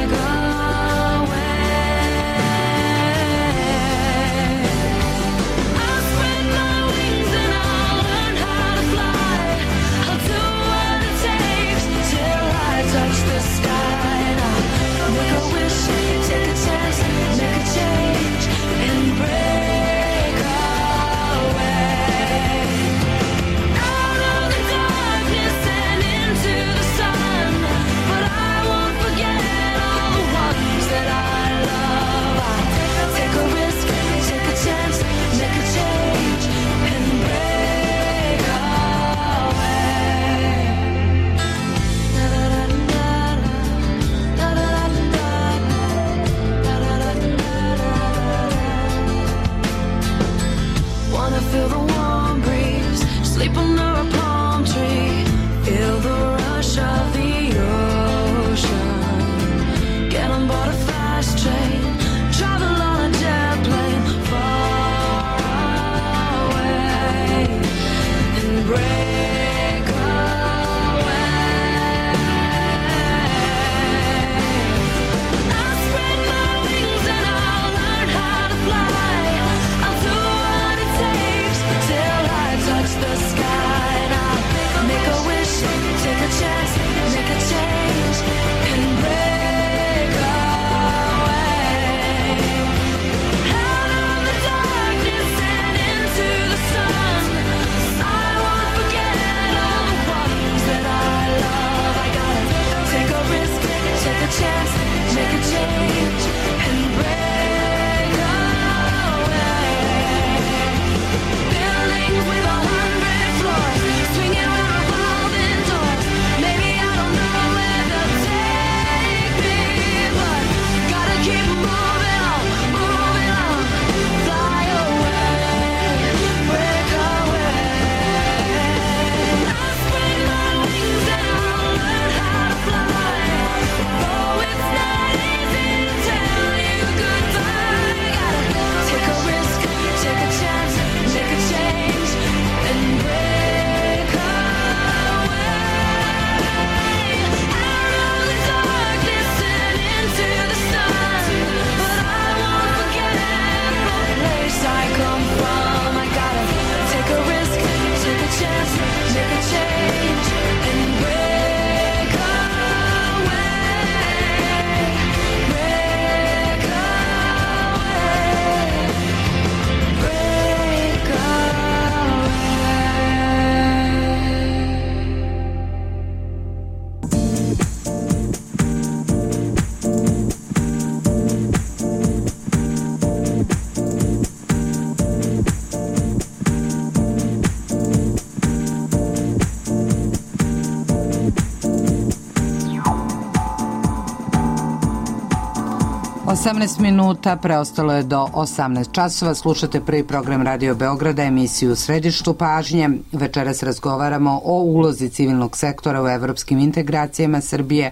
osamnaest minuta, preostalo je do osamnaest časova. Slušate prvi program Radio Beograda, emisiju Središtu pažnje. Večeras razgovaramo o ulozi civilnog sektora u evropskim integracijama Srbije,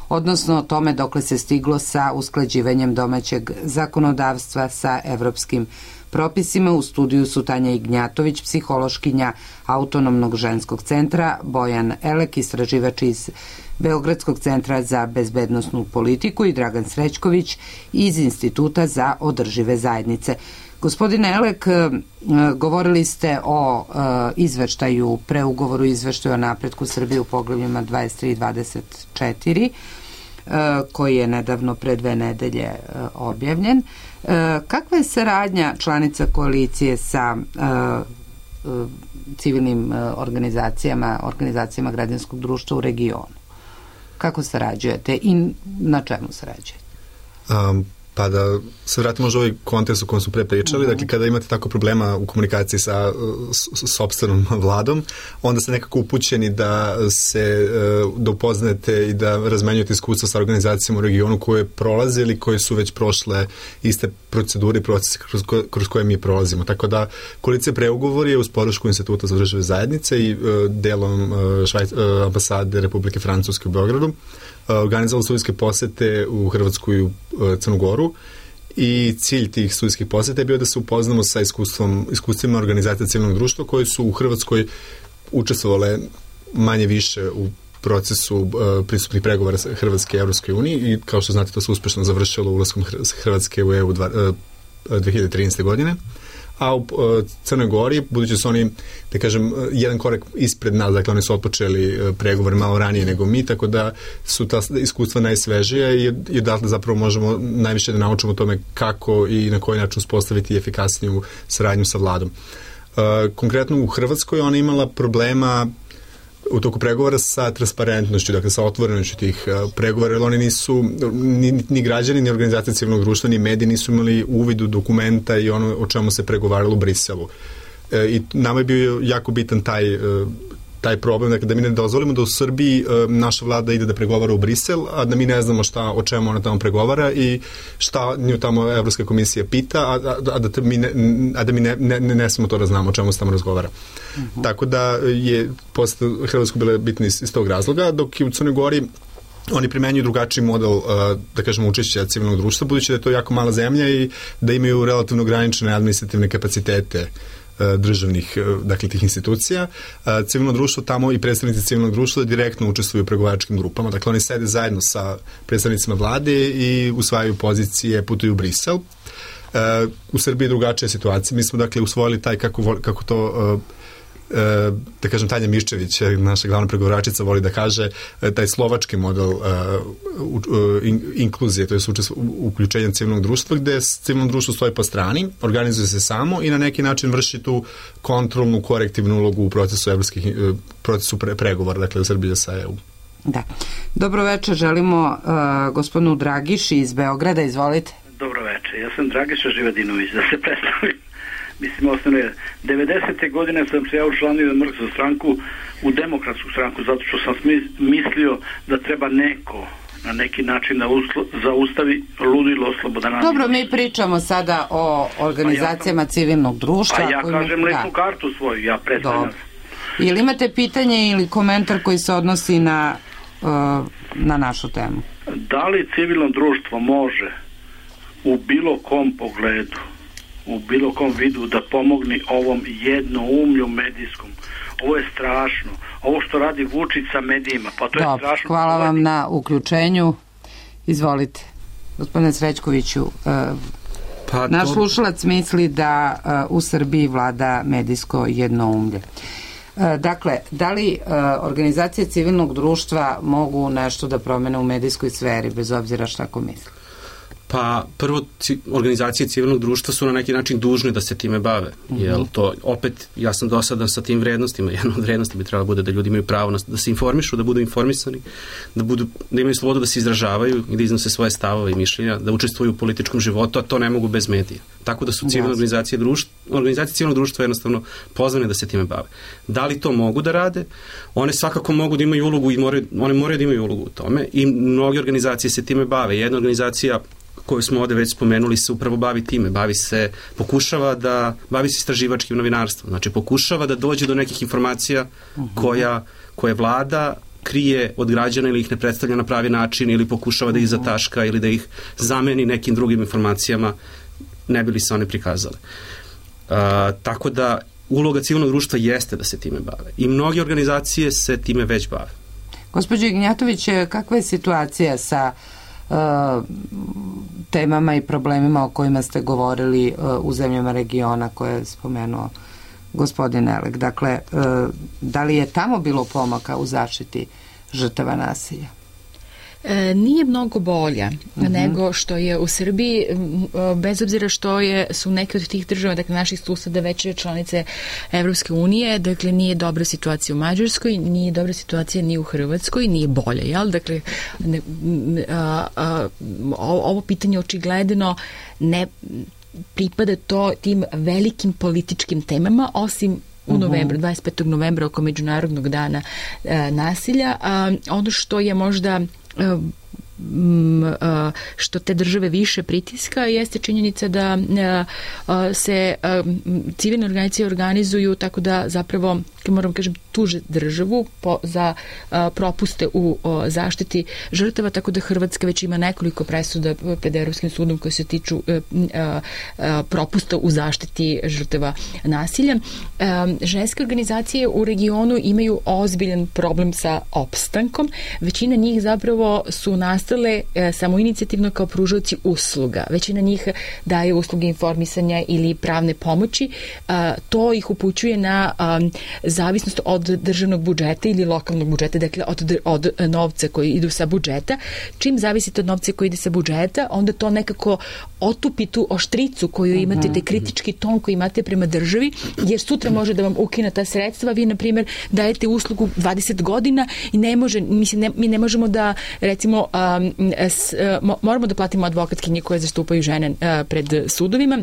odnosno o tome dokle se stiglo sa usklađivanjem domaćeg zakonodavstva sa evropskim propisima. U studiju su Tanja Ignjatović, psihološkinja Autonomnog ženskog centra, Bojan Elek, istraživač iz Beogradskog centra za bezbednosnu politiku i Dragan Srećković iz Instituta za održive zajednice. Gospodine Elek, govorili ste o izveštaju, preugovoru izveštaju o napretku Srbije u poglavljima dvadeset tri i dvadeset četiri, koji je nedavno pre dve nedelje objavljen. Kakva je saradnja članica koalicije sa civilnim organizacijama, organizacijama građanskog društva u regionu? Kako sarađujete i na čemu sarađujete? Um, pa da se vratimo možda ovaj kontekst u kojem su pre pričali, uh-huh. Dakle kada imate tako problema u komunikaciji sa sopstvenom vladom, onda ste nekako upućeni da se da upoznate i da razmenjujete iskustva sa organizacijama u regionu koje prolaze ili koje su već prošle iste procedure i procese kroz, ko, kroz koje mi prolazimo. Tako da koalicija preugovor je uz podršku Instituta za održive zajednice i uh, delom uh, Švajc, uh, ambasade Republike Francuske u Beogradu organizovali studijske posete u Hrvatsku i u Crnu Goru i cilj tih studijskih poseta je bio da se upoznamo sa iskustvom, iskustvima organizacija civilnog društva koje su u Hrvatskoj učestvovale manje više u procesu uh, pristupnih pregovora Hrvatske i Evropskoj uniji i kao što znate to se uspešno završilo ulaskom Hrvatske u E U dve hiljade trinaeste. godine. A u Crnoj Gori, budući su oni, da kažem, jedan korak ispred nas, dakle oni su otpočeli pregovore malo ranije nego mi, tako da su ta iskustva najsvežija i, i da zapravo možemo najviše da naučimo o tome kako i na koji način uspostaviti efikasniju saradnju sa vladom. Uh, konkretno u Hrvatskoj ona imala problema u toku pregovora sa transparentnošću, dakle sa otvorenošću tih uh, pregovora, jer oni nisu, ni, ni građani, ni organizacije civilnog društva, ni mediji nisu imali uvid u dokumenta i ono o čemu se pregovaralo u Briselu. E, I nama je bio jako bitan taj, uh, taj problem, dakle da mi ne dozvolimo da u Srbiji uh, naša vlada ide da pregovara u Brisel, a da mi ne znamo šta, o čemu ona tamo pregovara i šta nju tamo Evropska komisija pita, a, a, a da mi, ne, a da mi ne, ne, ne smemo to da znamo o čemu se tamo razgovara. Uh-huh. Tako da je posle Hrvatskoj bile bitni iz, iz tog razloga, dok je u Crnoj Gori oni primenjuju drugačiji model, uh, da kažemo, učešća civilnog društva, budući da je to jako mala zemlja i da imaju relativno ograničene administrativne kapacitete državnih, dakle, tih institucija. Civilno društvo tamo i predstavnici civilnog društva direktno učestvuju u pregovaračkim grupama. Dakle, oni sede zajedno sa predstavnicima vlade i usvajaju pozicije, putuju u Brisel. U Srbiji je drugačija situacija. Mi smo, dakle, usvojili taj, kako, kako to da kažem, Tanja Miščević, naša glavna pregovaračica, voli da kaže, taj slovački model inkluzije, to je uključenje civilnog društva, gde civilno društvo stoji po strani, organizuje se samo i na neki način vrši tu kontrolnu, korektivnu ulogu u procesu evropskih, procesu pre, pregovora, dakle u Srbiji sa E U. Da. Dobro večer, želimo uh, gospodinu Dragiši iz Beograda, izvolite. Dobro večer, ja sam Dragiša Živadinović, da se predstavim. Mislim, osnovno je, devedesete godine sam se ja učlanio na mrtvu stranku, u demokratsku stranku, zato što sam mislio da treba neko na neki način da uslo, zaustavi ludilo Slobodana. Dobro, mi pričamo sada o organizacijama ja sam, civilnog društva. A ja kojima, kažem lesnu da. kartu svoju, ja predstavljam. Ili imate pitanje ili komentar koji se odnosi na, uh, na našu temu? Da li civilno društvo može u bilo kom pogledu, u bilo kom vidu da pomogni ovom jednoumlju medijskom? Ovo je strašno. Ovo što radi Vučić sa medijima, pa to je Dobre, strašno. Hvala vam na uključenju. Izvolite. Gospodine Srećkoviću, uh, pa, naš to... slušalac misli da uh, u Srbiji vlada medijsko jednoumlje. Uh, dakle, da li uh, organizacije civilnog društva mogu nešto da promene u medijskoj sferi, bez obzira šta ko misli? Pa prvo, organizacije civilnog društva su na neki način dužne da se time bave, mm-hmm. jer to opet, ja sam dosadan sa tim vrednostima, jedna od vrednosti bi trebalo bude da ljudi imaju pravo da se informišu, da budu informisani, da, budu, da imaju slobodu da se izražavaju i da iznose svoje stavove i mišljenja, da učestvuju u političkom životu, a to ne mogu bez medija. Tako da su civilne organizacije, društva, organizacije civilnog društva jednostavno pozvane da se time bave. Da li to mogu da rade? One svakako mogu da imaju ulogu i moraju, one moraju da imaju ulogu u tome i mnoge organizacije se time bave. Jedna organizacija koju smo ovde već spomenuli se upravo bavi time, bavi se, pokušava da, bavi se istraživačkim novinarstvom, znači pokušava da dođe do nekih informacija koja, koje vlada krije od građana ili ih ne predstavlja na pravi način ili pokušava da ih zataška ili da ih zameni nekim drugim informacijama, ne bi li se one prikazale. Uh, tako da uloga civilnog društva jeste da se time bave i mnoge organizacije se time već bave. Gospođo Ignjatović, kakva je situacija sa uh, temama i problemima o kojima ste govorili uh, u zemljama regiona koje je spomenuo gospodin Elek? Dakle, uh, da li je tamo bilo pomaka u zaštiti žrtava nasilja? E, nije mnogo bolja uh-huh. nego što je u Srbiji, bez obzira što je, su neke od tih država, dakle naših suseda već članice Evropske unije, dakle nije dobra situacija u Mađarskoj, nije dobra situacija ni u Hrvatskoj, nije bolja, jel? Dakle, ne, a, a, ovo pitanje očigledno ne pripada to tim velikim političkim temama, osim u novembru, dvadeset petog novembra oko Međunarodnog dana e, nasilja. A, ono što je možda što te države više pritiska jeste činjenica da se civilne organizacije organizuju tako da zapravo, moram kažem, tuže državu po, za propuste u zaštiti žrtava, tako da Hrvatska već ima nekoliko presuda pred Evropskim sudom koje se tiču propusta u zaštiti žrtava nasilja. Ženske organizacije u regionu imaju ozbiljan problem sa opstankom. Većina njih zapravo su nastale e, samoinicijativno kao pružaoci usluga. Većina njih daje usluge informisanja ili pravne pomoći. A, to ih upućuje na a, zavisnost od državnog budžeta ili lokalnog budžeta, dakle od, od novca koji idu sa budžeta. Čim zavisite od novca koji ide sa budžeta, onda to nekako otupi tu oštricu koju imate, te kritički ton koji imate prema državi, jer sutra može da vam ukine ta sredstva. Vi, na primjer, dajete uslugu dvadeset godina i ne može, mislim, ne, mi ne možemo da, recimo, um, s, uh, moramo da platimo advokatkinje koje zastupaju žene uh, pred sudovima.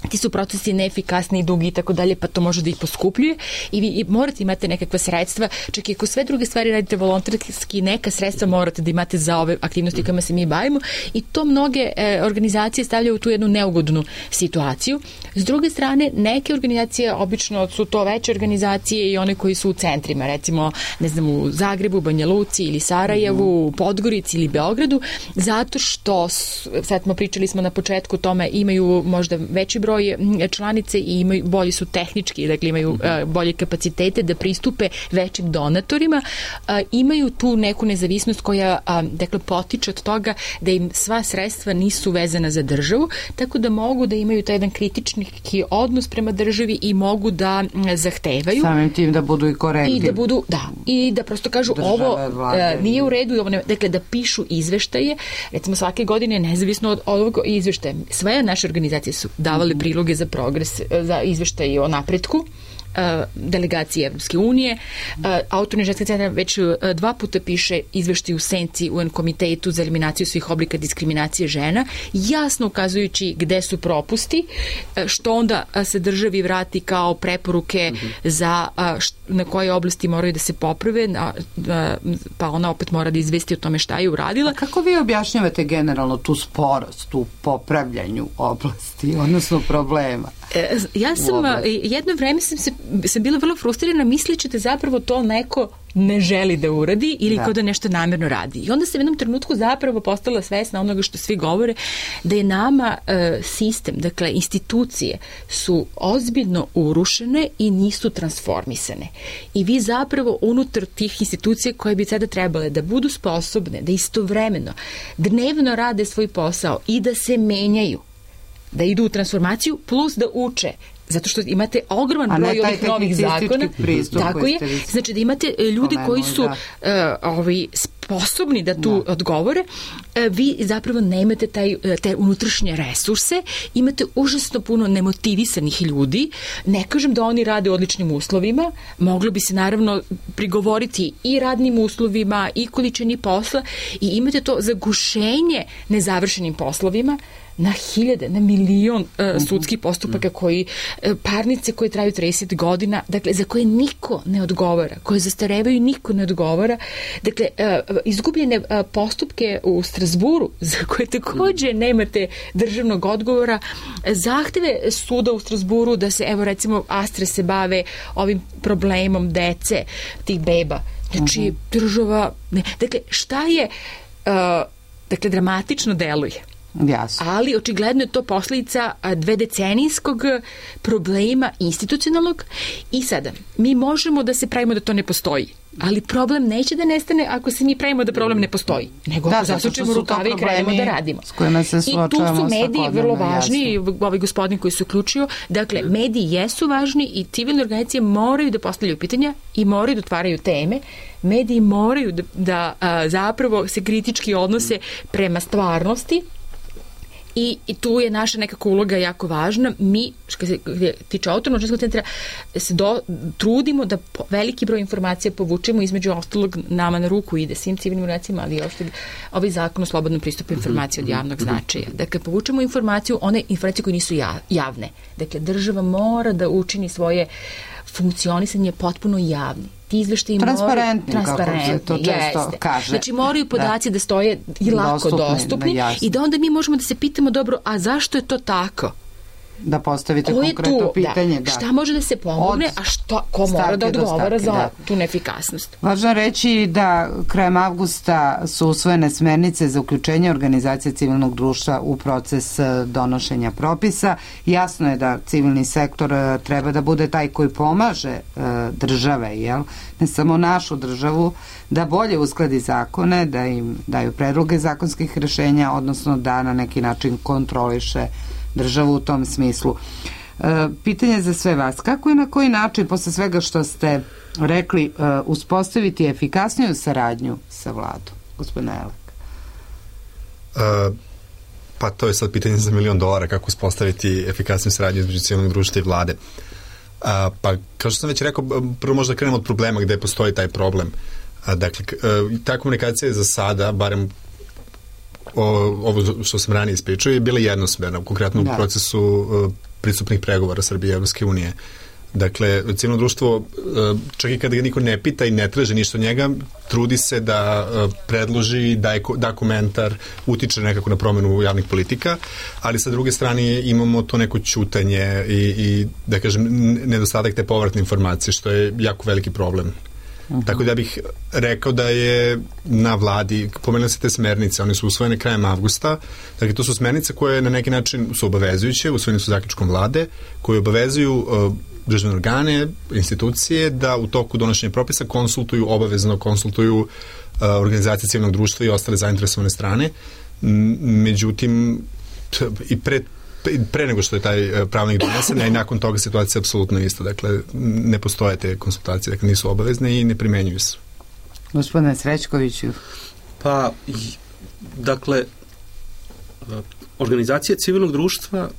Ti su procesi neefikasni i dugi i tako dalje, pa to može da ih poskupljuje i vi i morate imate nekakva sredstva, čak i ako sve druge stvari radite volonterski, neka sredstva morate da imate za ove aktivnosti kojima se mi bavimo i to mnoge e, organizacije stavljaju u tu jednu neugodnu situaciju. S druge strane, neke organizacije, obično su to veće organizacije i one koji su u centrima, recimo, ne znam, u Zagrebu, Banja Luci ili Sarajevu, u Podgorici ili Beogradu, zato što, sad smo pričali smo na početku o tome, imaju možda veći broj članice i imaju, bolji su tehnički, dakle imaju uh, bolje kapacitete da pristupe većim donatorima, uh, imaju tu neku nezavisnost koja uh, dakle potiče od toga da im sva sredstva nisu vezana za državu, tako da mogu da imaju taj jedan kritični odnos prema državi i mogu da zahtevaju. Samim tim da budu i korektni. I da budu, da, i da prosto kažu države, ovo uh, nije u redu, ovo ne, dakle da pišu izveštaje, recimo svake godine nezavisno od ovog izveštaja. Sve naše organizacije su davale priloge za progres, za izveštaje o napretku delegacije Evropske unije. Autorni ženski centar već dva puta piše izveštaj u senci u en komitetu za eliminaciju svih oblika diskriminacije žena, jasno ukazujući gde su propusti, što onda se državi vrati kao preporuke mm-hmm. za na koje oblasti moraju da se poprave, pa ona opet mora da izvesti o tome šta je uradila. A kako vi objašnjavate generalno tu sporost u popravljanju oblasti, odnosno problema? Ja sam, jedno vreme sam, se, sam bila vrlo frustrirana misleći da zapravo to neko ne želi da uradi ili da. Kao da nešto namjerno radi. I onda sam u jednom trenutku zapravo postala svesna onoga što svi govore, da je nama e, sistem, dakle institucije su ozbiljno urušene i nisu transformisane. I vi zapravo unutar tih institucija koje bi sada trebale da budu sposobne, da istovremeno dnevno rade svoj posao i da se menjaju, da idu u transformaciju plus da uče, zato što imate ogroman broj ovih novih zakona. Tako je. Znači da imate ljudi koji su uh, ovaj, sposobni da tu da. odgovore. Uh, vi zapravo nemate taj, te unutrašnje resurse, imate užasno puno nemotivisanih ljudi. Ne kažem da oni rade u odličnim uslovima, moglo bi se naravno prigovoriti i radnim uslovima i količini posla i imate to zagušenje nezavršenim poslovima, na hiljade, na milion uh, sudskih postupaka koji, uh, parnice koje traju trideset godina, dakle, za koje niko ne odgovara, koje zastarevaju, niko ne odgovara. Dakle, uh, izgubljene postupke u Strasburu, za koje takođe nemate državnog odgovora, zahteve suda u Strasburu da se, evo recimo, Astre se bave ovim problemom dece, tih beba. Znači, uh-huh. država... Ne. Dakle, šta je... Uh, dakle, dramatično deluje. Jasno. Ali očigledno je to posljedica dvedecenijskog problema institucionalnog i sada mi možemo da se pravimo da to ne postoji, ali problem neće da nestane ako se mi pravimo da problem ne postoji, nego da, ako zasučemo rukave i krenemo da radimo. I tu su mediji vrlo važni, jasno. Ovaj gospodin koji se uključio, dakle mediji jesu važni i civilne organizacije moraju da postavljaju pitanja i moraju da otvaraju teme. Mediji moraju da, da a, zapravo se kritički odnose prema stvarnosti. I, i tu je naša nekako uloga jako važna. Mi, što se tiče Autonomnog ženskog centra, se do, trudimo da po, veliki broj informacija povučemo, između ostalog nama na ruku ide svim civilnim organizacijama, ali i ovaj zakon o slobodnom pristupu informacije od javnog značaja. Dakle, povučemo informaciju, one informacije koje nisu javne. Dakle, država mora da učini svoje funkcionisanje potpuno javni. Ti izveštaji transparentni, moraju, transparentni, kako se to često jeste. kaže. Znači moraju podaci da, da stoje i lako dostupni, dostupni da, i da onda mi možemo da se pitamo, dobro, a zašto je to tako? Da postavite konkretno tu, pitanje. Da. Da. Šta može da se pomogne, a šta, ko mora da odgovara za da. tu neefikasnost? Važno reći da krajem avgusta su usvojene smernice za uključenje organizacije civilnog društva u proces donošenja propisa. Jasno je da civilni sektor treba da bude taj koji pomaže države, jel? Ne samo našu državu, da bolje uskladi zakone, da im daju predloge zakonskih rešenja, odnosno da na neki način kontroliše državu u tom smislu. E, pitanje za sve vas. Kako i na koji način, posle svega što ste rekli, e, uspostaviti efikasniju saradnju sa vladom? Gospodine Elek. E, pa to je sad pitanje za milion dolara, kako uspostaviti efikasniju saradnju između civilnog društva i vlade. A, pa, kao što sam već rekao, prvo možda krenemo od problema gde postoji taj problem. A, dakle, ta komunikacija je za sada, barem O, ovo što sam ranije ispričao, je bila jednosmerna, konkretno u da. procesu uh, pristupnih pregovora Srbije i Evropske unije. Dakle, civilno društvo, uh, čak i kada ga niko ne pita i ne traže ništa od njega, trudi se da uh, predloži, da, da komentar, utiče nekako na promenu javnih politika, ali sa druge strane imamo to neko ćutanje i, i da kažem, nedostatak te povratne informacije, što je jako veliki problem. Uh-huh. Tako da ja bih rekao da je na vladi, pomenuli se te smernice, one su usvojene krajem avgusta, dakle to su smernice koje na neki način su obavezujuće, usvojene su zaključkom vlade, koje obavezuju uh, državne organe, institucije da u toku donošenja propisa konsultuju, obavezno konsultuju uh, organizacije civilnog društva i ostale zainteresovane strane. M- međutim, t- i pre pre nego što je taj pravnik donesen, a i nakon toga situacija je apsolutno ista. Dakle, ne postoje te konsultacije, dakle nisu obavezne i ne primenjuju se. Gospodine Srećkoviću. Pa, dakle, organizacije civilnog društva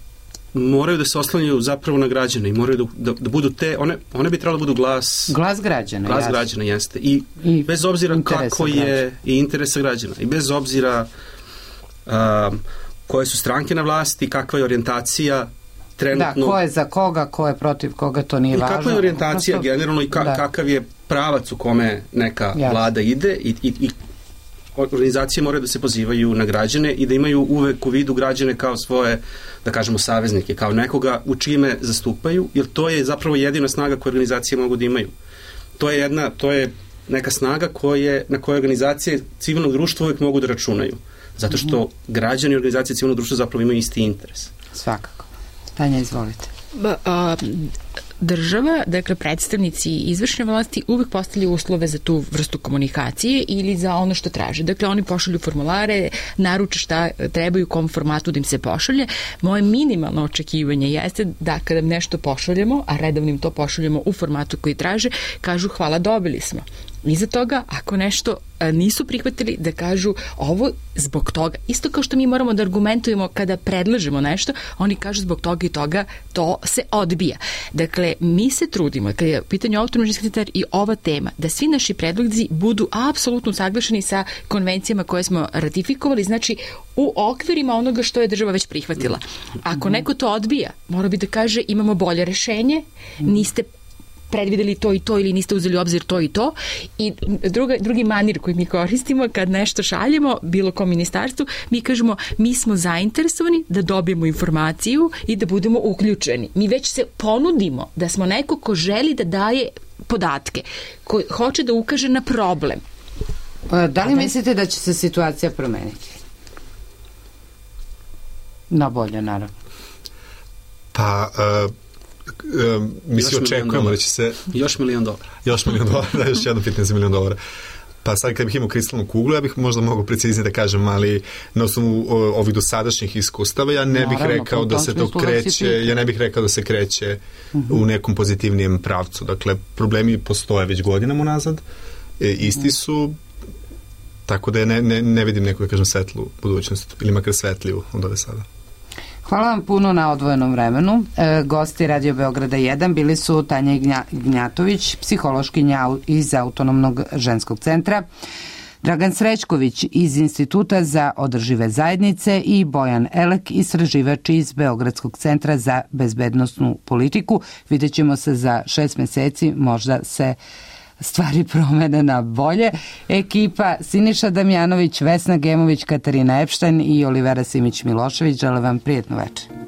moraju da se oslanjaju zapravo na građane i moraju da, da, da budu te, one, one bi trebalo da budu glas glas građana, glas građana jeste i, I bez obzira kako je građana. I interesa građana i bez obzira um, koje su stranke na vlasti, kakva je orijentacija trenutno. Da, ko je za koga, ko je protiv koga, to nije važno. I kakva je orijentacija Prosto, generalno i ka, kakav je pravac u kome neka Jasne. vlada ide i, i, i organizacije moraju da se pozivaju na građane i da imaju uvek u vidu građane kao svoje, da kažemo, saveznike, kao nekoga u čime zastupaju, jer to je zapravo jedina snaga koju organizacije mogu da imaju. To je jedna, to je neka snaga koje, na koje organizacije civilnog društva uvek mogu da računaju. Zato što građani i organizacije civilnog društva zapravo imaju isti interes. Svakako. Tanja, izvolite. Ba, a, država, dakle predstavnici izvršne vlasti uvek postavljaju uslove za tu vrstu komunikacije ili za ono što traže. Dakle, oni pošalju formulare, naruče šta trebaju, u kom formatu da im se pošalje. Moje minimalno očekivanje jeste da kada nešto pošaljemo, a redovnim to pošaljemo u formatu koji traže, kažu hvala, dobili smo. Iza toga, ako nešto nisu prihvatili, da kažu ovo zbog toga. Isto kao što mi moramo da argumentujemo kada predlažemo nešto, oni kažu zbog toga i toga, to se odbija. Dakle, mi se trudimo, kada je u pitanju Autonomnog ženskog centra i ova tema, da svi naši predlozi budu apsolutno saglašeni sa konvencijama koje smo ratifikovali, znači u okvirima onoga što je država već prihvatila. Ako neko to odbija, mora bi da kaže imamo bolje rešenje, niste predvideli to i to ili niste uzeli u obzir to i to. I druga, drugi manir koji mi koristimo kad nešto šaljemo bilo kom ministarstvu, mi kažemo mi smo zainteresovani da dobijemo informaciju i da budemo uključeni. Mi već se ponudimo da smo neko ko želi da daje podatke, ko hoće da ukaže na problem. Da li mislite da će se situacija promeniti? Na bolje, naravno. Pa, uh, uh, mi se očekujemo da će se... Još milion dolara. Još milion dolara, da, još jedno pitanje za milion dolara. Pa sad kad bih imao kristalnu kuglu, ja bih možda mogao preciznije da kažem, ali na osnovu ovih dosadašnjih iskustava, ja ne bih Naravno, rekao da se to kreće, ja ne bih rekao da se kreće uh-huh. u nekom pozitivnijem pravcu. Dakle, problemi postoje već godinama unazad, e, isti su, tako da ne, ne, ne vidim neku, da kažem, svetlu budućnost, ili makar svetliju od ove sada. Hvala vam puno na odvojenom vremenu. E, gosti Radio Beograda jedan bili su Tanja Gnja, Gnjatović, psihološkinja iz Autonomnog ženskog centra, Dragan Srećković iz Instituta za održive zajednice i Bojan Elek, istraživač iz Beogradskog centra za bezbednosnu politiku. Vidjet ćemo se za šest meseci, možda se stvari promene na bolje. Ekipa Siniša Damjanović, Vesna Gemović, Katarina Epštajn i Olivera Simić-Milošević žele vam prijetnu večer.